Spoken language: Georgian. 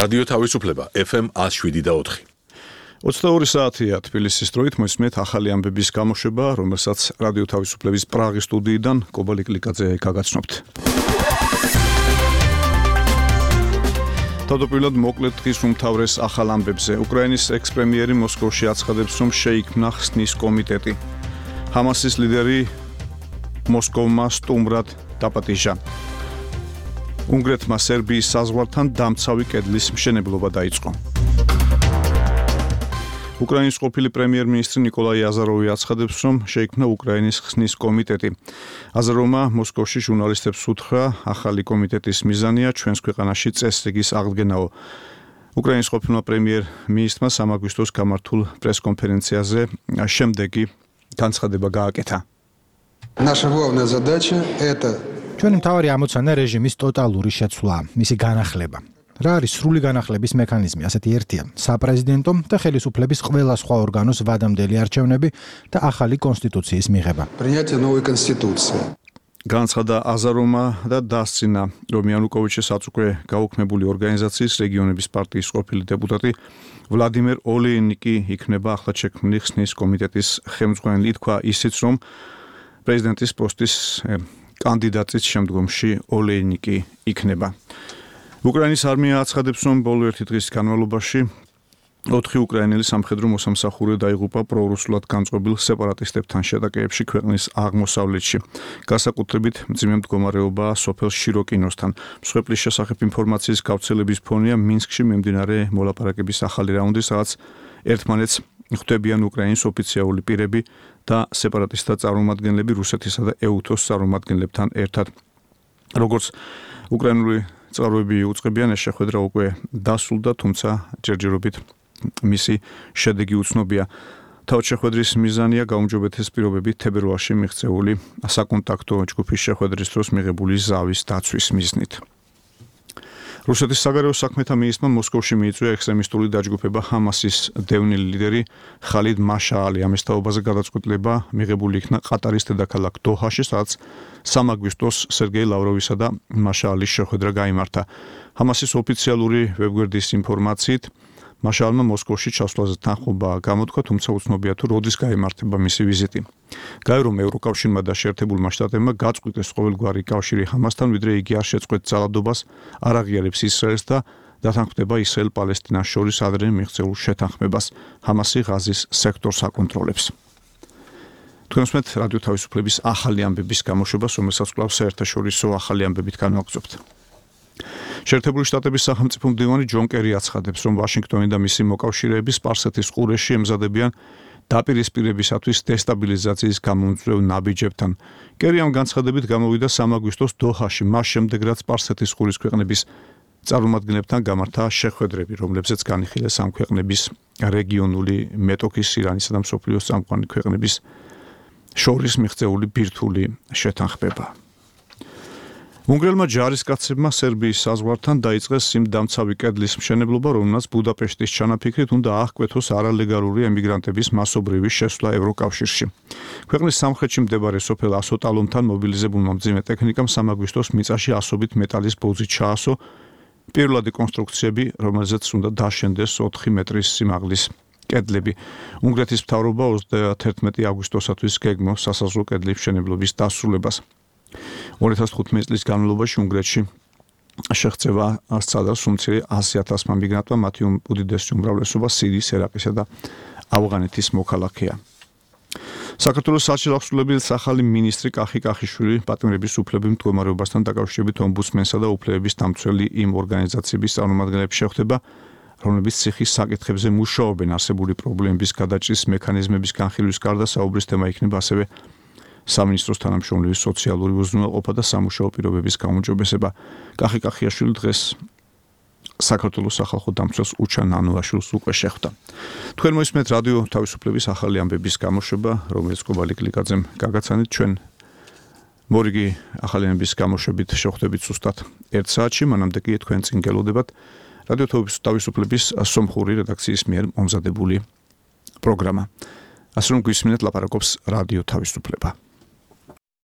რადიო თავისუფლება FM 107.4. 22 საათია თბილისის დროით მოისმენთ ახალი ამბების გამოშვება, რომელსაც რადიო თავისუფლების პრაღის სტუდიიდან კობალიკ ლიკაძე გაგაცნობთ. თავდაპირველად მოკლედ დღის უმთავრეს ახალ ამბებზე. უკრაინის ექს-პრემიერი მოსკოვში აცხადებს, რომ შეიქმნა ხსნის კომიტეტი. ჰამასის ლიდერი მოსკოვმა სტუმრად დაპატიჟა. უნგრეთმა სერბიის საზღვართან დამცავი კედლის მშენებლობა დაიწყო. უკრაინის ყოფილი პრემიერ-მინისტრი ნიკოლაი აზაროვი აცხადებს, რომ შეიქმნა უკრაინის ხსნის კომიტეტი. აზაროვმა მოსკოვში ჟურნალისტებს უთხრა, ახალი კომიტეტის მიზანია ჩვენს ქვეყანაში წესრიგის აღდგენაო. უკრაინის ყოფილმა პრემიერ-მინისტრმა 3 აგვისტოს გამართულ პრეს-კონფერენციაზე შემდეგი განცხადება გააკეთა. Наша главная задача это ჩვენი მთავარი ამოცანა რეჟიმის ტოტალური შეცვლა, მისი განახლება. რა არის სრული განახლების მექანიზმი? ასეთი ერთია: საპრეზიდენტო და ხელისუფლების ყველა სხვა ორგანოს ვადამდელი არჩევნები და ახალი კონსტიტუციის მიღება. принятие новой конституции. განცხადა აზაროვმა და დასცინა, რომ იანუკოვიჩის აწუხე გაუქმებული ორგანიზაციის რეგიონების პარტიის ყოფილი დეპუტატი ვლადიმერ ოლეინიკი იქნება ახლად შექმნილი ხსნის კომიტეტის ხელმძღვანელი. თქვა ისიც, რომ პრეზიდენტის პოსტის კანდიდატის შემდგომში ოლეინიკი იქნება. უკრაინის არმია აცხადებს, რომ ბოლო ერთი დღის განმავლობაში 4 უკრაინელი სამხედრო მოსამსახურე დაიღუპა პრორუსულად განწყობილ სეპარატისტებთან შეტაკებებში ქვეყნის აღმოსავლეთში. განსაკუთრებით მძიმე მდგომარეობაა სოფელ შიროკინოსთან. მსხვერპლის შესახებ ინფორმაციის გავრცელების ფონია მინსკში მიმდინარე მოლაპარაკების ახალი რაუნდი, სადაც ერთმანეთს ხვდებიან უკრაინის ოფიციალური პირები და სეპარატისტთა წარმომადგენლები რუსეთისა და ეუთოს წარმომადგენლებთან ერთად. როგორც უკრაინული წყაროები უწყებიან, ეს შეხვედრა უკვე დასრულდა, თუმცა ჯერჯერობით მისი შედეგი უცნობია. თავად შეხვედრის მიზანია გაუმჯობესების პირობებით თებერვალში მიღწეული საკონტაქტო ჯგუფის შეხვედრის დროს მიღებული ზავის დაცვის მიზნით. რუსეთის საგარეო საქმეთა მინისტრმა მოსკოვში მიიწვია ექსტრემისტული დაჯგუფება ჰამასის დევნილი ლიდერი ხალიდ მაშაალი. ამის თაობაზე გადაწყვეტილება მიღებული იქნა ყატარის დედაქალაქ დოჰაში, სადაც 3 აგვისტოს სერგეი ლავროვისა და მაშაალის შეხვედრა გაიმართა. ჰამასის ოფიციალური ვებგვერდის ინფორმაციით, მაშაალმა მოსკოვში ჩასვლაზე თანხმობა გამოთქვა, თუმცა უცნობია თუ როდის გაიმართება მისი ვიზიტი. გაირო ევროკავშირმა და შეერთებულმა შტატებმა გაწყვიტეს ყოველგვარი კავშირი ჰამასთან, ვიდრე იგი არ შეწყვეტს ძალადობას, არ აღიარებს ისრაელს და დათანხმდება ისრაელ-პალესტინას შორის ადრე მიღწეულ შეთანხმებას. ჰამასი ღაზის სექტორს აკონტროლებს. თქვენ უსმენთ რადიო თავისუფლების ახალი ამბების გამოშვებას, რომელსაც კვლავ საერთაშორისო ახალი ამბებით განვაგრძობთ. შეერთებული შტატების სახელმწიფო მდივანი ჯონ კერი აცხადებს, რომ ვაშინგტონი და მისი მოკავშირეები სპარსეთის ყურეში ემზადებიან დაპირისპირებისათვის დესტაბილიზაციის გამომწვევ ნაბიჯებთან. კერი ამ განცხადებით გამოვიდა 3 აგვისტოს დოჰაში, მას შემდეგ რაც სპარსეთის ყურის ქვეყნების წარმომადგენლებთან გამართა შეხვედრები, რომლებზეც განიხილეს ამ ქვეყნების რეგიონული მეტოქის, ირანისა და მსოფლიოს წამყვანი ქვეყნების შორის მიღწეული ბირთვული შეთანხმება. უნგრელმა ჯარისკაცებმა სერბიის საზღვართან დაიწყეს იმ დამცავი კედლის მშენებლობა, რომელსაც ბუდაპეშტის ჩანაფიქრით უნდა აღკვეთოს არალეგალური ემიგრანტების მასობრივი შესვლა ევროკავშირში. ქვეყნის სამხრეთში მდებარე სოფელ ასოტალომთან მობილიზებულმა მძიმე ტექნიკამ 3 აგვისტოს მიწაში ასობით მეტალის ბოძი ჩაასო, პირველადი კონსტრუქციები, რომელზეც უნდა დაშენდეს 4 მეტრის სიმაღლის კედლები. უნგრეთის მთავრობა 31 აგვისტოსათვის გეგმავს სასაზღვრო კედლის მშენებლობის დასრულებას. 2015 წლის განმავლობაში უნგრეთში შეღწევა სცადა სულ 100,000 მიგრანტმა, მათი უდიდესი უმრავლესობა სირიის, ერაყისა და ავღანეთის მოქალაქეა. საქართველოს საელჩოს აღსრულებლის ახალი მინისტრი კახი კახიშვილი პატიმრების უფლებების მდგომარეობასთან დაკავშირებით ომბუდსმენსა და უფლებების დამცველი იმ ორგანიზაციების წარმომადგენლებს შეხვდება, რომლებიც ციხის საკითხებზე მუშაობენ. არსებული პრობლემების გადაჭრის მექანიზმების განხილვის გარდა საუბრის თემა იქნება ასევე სამინისტროს თანამშრომლების სოციალური უზრუნველყოფა და სამუშაო პირობების გაუმჯობესება. კახი კახიაშვილი დღეს საქართველოს სახალხო დამცველს უჩა ნანოაშვილს უკვე შეხვდა. თქვენ მოისმენთ რადიო თავისუფლების ახალი ამბების გამოშვება, რომელიც კობალიკ ლიკაძემ გაგაცანით. ჩვენ მორიგი ახალი ამბების გამოშვებით შეხვდებით ზუსტად 1 საათში, მანამდე კი თქვენ წინ გელოდებათ რადიო თავისუფლების სომხური რედაქციის მიერ მომზადებული პროგრამა. ასე რომ გვისმინეთ ლაპარაკობს რადიო თავისუფლება.